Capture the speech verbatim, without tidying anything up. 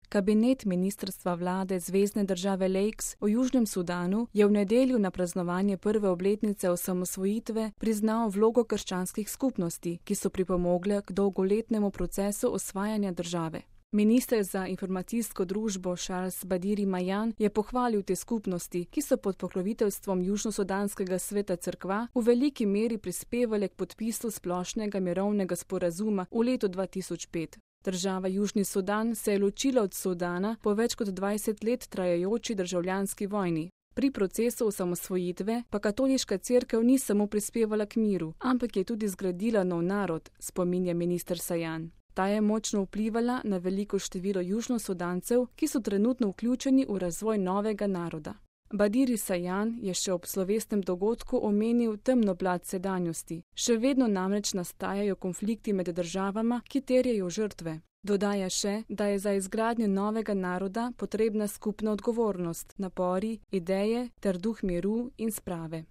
Kabinet ministrstva vlade Zvezne države Lakes v Južnem Sudanu je v nedeljo na praznovanje prve obletnice osamosvojitve priznal vlogo krščanskih skupnosti, ki so pripomogle k dolgoletnemu procesu osvajanja države. Minister za informacijsko družbo Charles Badiri Majan je pohvalil te skupnosti, ki so pod pokroviteljstvom Južnosudanskega sveta cerkva v veliki meri prispevale k podpisu splošnega mirovnega sporazuma v letu dva tisoč pet. Država Južni Sudan se je ločila od Sudana po več kot dvajset let trajajoči državljanski vojni. Pri procesu osamosvojitve pa katoliška cerkev ni samo prispevala k miru, ampak je tudi zgradila nov narod, spominja minister Sajan. Ta je močno vplivala na veliko število Južnosudancev, ki so trenutno vključeni v razvoj novega naroda. Badiri Sajan je še ob slovesnem dogodku omenil temno plat sedanjosti. Še vedno namreč nastajajo konflikti med državama, ki terjajo žrtve. Dodaja še, da je za izgradnjo novega naroda potrebna skupna odgovornost, napori, ideje ter duh miru in sprave.